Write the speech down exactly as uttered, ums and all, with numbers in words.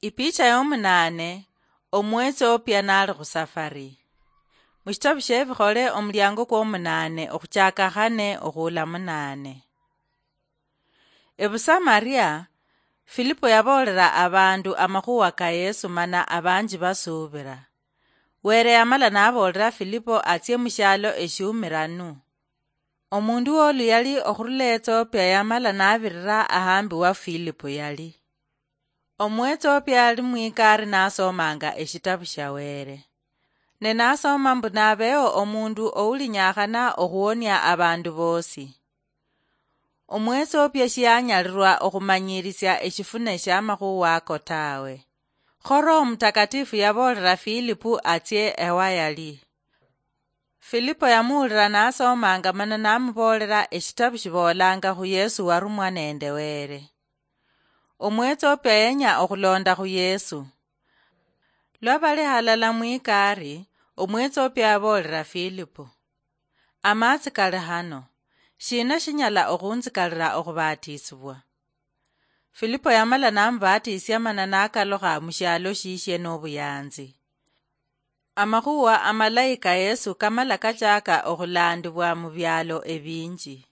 Ipicha yomunaane, Omuethiopia naali khusafari. Mushitabu shiebikhole omuliango kwomunaane okhuchaka khane okhuula munaane. Ebusamaria, Filipo yaboolera abandu amakhuwa ka Yesu mana abanji basuubira. Were yamala naboolera Filipo atsie mushialo eshiumiranu. Omundu wolu yali okhurula Ethiopia yamala nabirira ahambi wa Filipo yali. Omuethiopia ali mwikari nasomanga eshitabu shia Were. Ne nasoma mbu nabeeo omundu oulinyakhana okhuonia abandu bosi. Omuethiopia shianyalirwa okhumanyirisia eshifune shiamakhuwa ako tawe. Kho Roho Mutakatifu yaboolera Filipu atsie ewa yali. Filipo yamuwulira nasomanga mana namuboolera eshitabu shiboolanga khu Yesu warumwa nende Were. Omuethiopia yenya okhulonda khu Yesu. Lwa bali halala mwikari, Omuethiopia yaboolera Filipo, "Amatsi kali hano, shina shinyala okhunzikalira okhubatisibwa?" Filipo yamala namubatisia mana nakalukha mushialo shishie nobuyanzi. Amakhuwa amalayi ka Yesu kamala kachaka okhulandibwa mubialo ebinji.